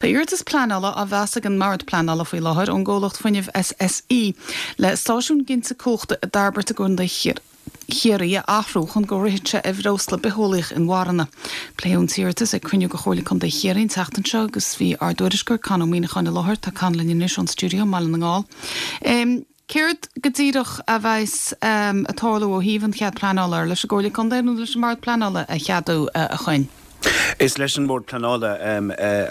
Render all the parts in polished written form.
Tá iarratas pleanála á mheas ag an mBord Pleanála faoi láthair ón gcomhlacht fuinnimh SSE le stáisiún ginte cumhachta i dTairbeart i gContae Chiarraí a athrú chun go rithfeadh sé ar bhreosla bitheolaíoch inmharthana. Pléadh an t-iarratas ag cruinniú de Chomhairle Contae Chiarraí an tseachtain seo agus bhí ár dtuairisceoir Con Ó Muíneacháin i láthair. Tá Con linn anois ón stiúideo i mBaile na nGall. Céard go díreach a bheas ag tarlú ó thaobh an chead pleanála? Ar leis an gComhairle Contae nó leis an mBord Pleanála a cheadú, a Choinn? Is leis an mBord Pleanála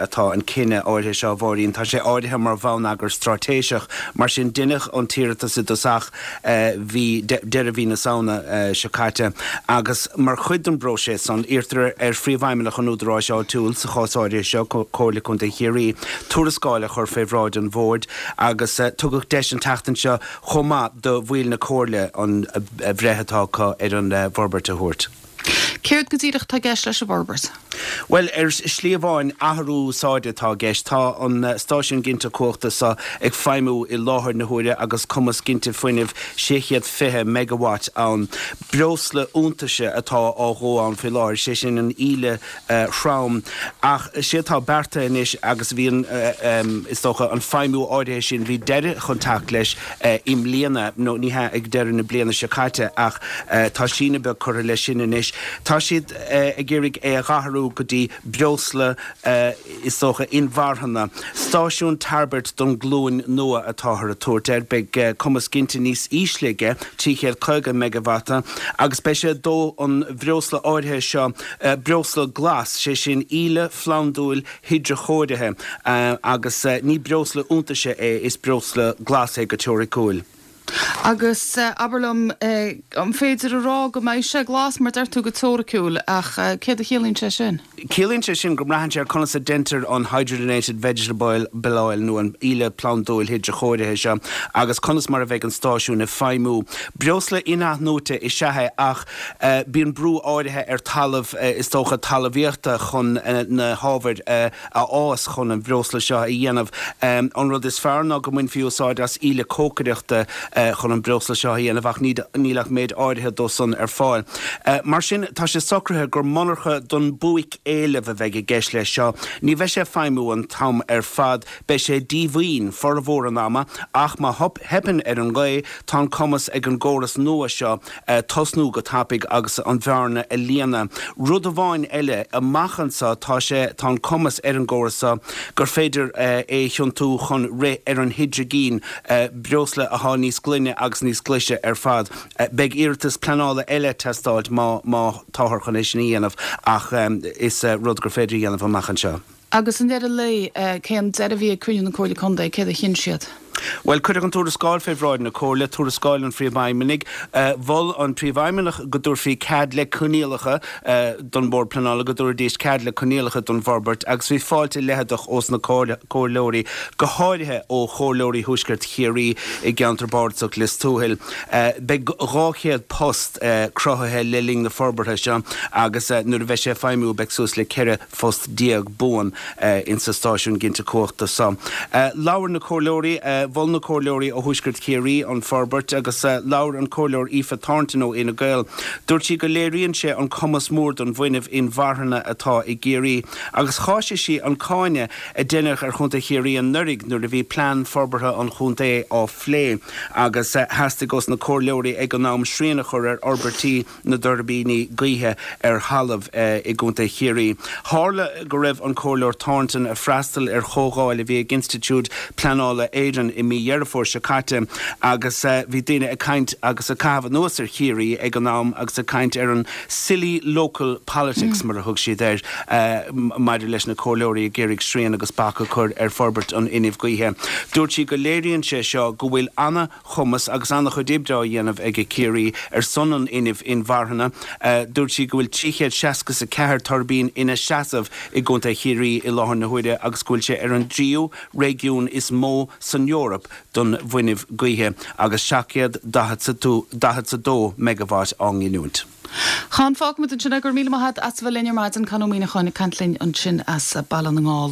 atá an cinneadh áirithe seo, a Mháirín. Tá sé áirithe mar bhonneagar straitéiseach. Mar sin, deineadh an t-iarratas i dtosach mhí, deireadh mhí na Samhna seo caite agus mar chuid den bpróiseas san, iarrtar ar Phríomhfheidhmeannach an údaráis áitiúil, sa chás áirithe seo, Comhairle Contae Chiarraí, tuarascáil a chur fé bhráid an Bhoird agus tugadh deis an tseachtain seo chomh maith do bhaill na Comhairle an bhreith atá acu ar an bhforbairt a thabhairt. Céard go díreach atá i gceist leis an bhforbairt? Bhuel, ar shlí amháin, athrú úsáide atá i gceist. Tá an stáisiún ginte cumhachta seo ag feidhmiú i láthair na huaire agus cumas ginte fuinnimh 620 megawatt ann. Breosla iontaise atá á dhó ann faoi láthair, sé sin an íle throm. Ach sé atá beartaithe anois, agus bhí an, is dócha, an feidhmiú áirithe sin, bhí deireadh chun teacht leis i mbliana, nó ní hea, ag deireadh na bliana seo caite, ach tá síneadh beag curtha leis sin anois. Tá siad ag iarraidh é a dh'athrú go dtí breosla, is dócha, inmharthana. Stáisiún Tairbirt don ghlúin nua atáthar ag tabhairt air. Beidh cumas ginte níos ísle aige, 350 meigeavata, agus beidh sé ag dó an bhreosla áirithe seo, breosla glas, sé sin íle phlandúil hidreachóirithe, agus ní breosla iontaise é, is breosla glas é go teoiriciúil. Agus abair liom, an féidir a rá go mbeidh sé glas, mar deir tú go teoiriciúil, ach céard a chiallaíonn sé sin? Ciallaíonn sé sin go mbraitheann sé ar conas a deintear an hydrogenated vegetable oil nó an íle phlandúil hidreachóirithe seo agus conas mar a bheidh an stáisiún ag feidhmiú. Breosla in-athnuaite is ea é ach bíonn brú áirithe ar talamh, is dócha, talmhaíochta chun na hábhair a a fhás chun an bhreosla seo a dhéanamh. An rud is fearr ná go mbainfí úsáid as íle cócaireachta chun an breosla seo a dhéanamh ach níl ach méid áirithe dó san ar fáil. Mar sin, tá sé socraithe gur monarcha don buaic-éileamh a bheidh i gceist leis seo. Ní bheidh sé ag feidhmiú an t-am ar fad, beidh sé díomhaoin formhór an ama ach má theipeann ar an ngaoth, tá an cumas ag an gcóras nua seo tosnú go tapaidh agus an bhearna a líonadh. Rud amháin eile, amach anso tá sé, tá an cumas ar an gcóras seo gur féidir é a thiontú chun rith ar an hidrigin, breosla athá níos glaine agus níos glaise ar fad. Beidh iarratas pleanála eile ag teastáilt má, má táthar chun é sin a dhéanamh ach is rud gur féidir a dhéanamh amach anseo. Agus i ndeireadh lae, cén deireadh a bhí ag cruinniú na Comhairle Contae, céard a chinn siad? Bhuel, cuireadh an tuarascáil fé bhráid na Comhairle, tuarascáil an Phríomhfheidhmeannaigh. Mhol an Príomhfheidhmeannach go dtabharfaí cead le coinníollacha don Bhord Pleanála, go dtabharfaidís cead le coinníollacha don bhforbairt agus bhí fáilte leitheadach ós na Comhairleoirí, go háirithe ó Chomhairleoirí Thuaisceart Chiarraí i gceantar bardasach Lios Tuathail. Beidh 200 post cruthaithe le linn na forbartha seo agus nuair a bheidh sé ag feidhmiú beidh suas le 14 phost buan insa stáisiún ginte cumhachta so. Labhair na comhairleoirí, mhol na comhairleoirí ó Thuaisceart Chiarraí an forbairt agus labhair an Comhairleoir Aoife Thornton ó Fhine Gael. Dúirt sí go léiríonn sé an cumas mór don bhfuinneamh inmharthana atá i gCiarraí agus cháisigh sí an cáineadh a deineadh ar Chontae Chiarraí anuraidh nuair a bhí plean forbartha an chontae á phlé agus theastaigh ós na comhairleoirí ag an am srian a chur ar fhorbairtí na dtuirbíní gaoithe ar thalamh i gContae Chiarraí. Tharla go raibh an Comhairleoir Thornton ag freastal ar chomhdháil a bhí ag Institiúid Pleanála Éireann i mí Dheireadh Fómhair seo caite agus bhí daoine ag caint agus ag caitheamh anuas ar Chiarraí ag an am agus ag caint ar an silly local politics mar a thug siad air maidir leis na comhairleoirí ag iarraidh srian agus bac a chur ar forbairt an fhuinnimh gaoithe. Dúirt sí go léiríonn sé seo go bhfuil ana chumas agus an-chuid oibre á dhéanamh ag Ciarraí ar son an fhuinnimh inmharthana. Dúirt sí go bhfuil 364 tuirbín ina seasamh i gContae Chiarraí i láthair na huaire agus go bhfuil sé ar an dtríú réigiún is mó san Eoraip don bhfuinneamh gaoithe agus 742 meigeavat á nginiúint. Con, fágfaimid ansin é. Go raibh míle maith agat as a bheith linn ar maidin, Con Ó Muíneacháin ag caint linn ansin as Baile na nGall.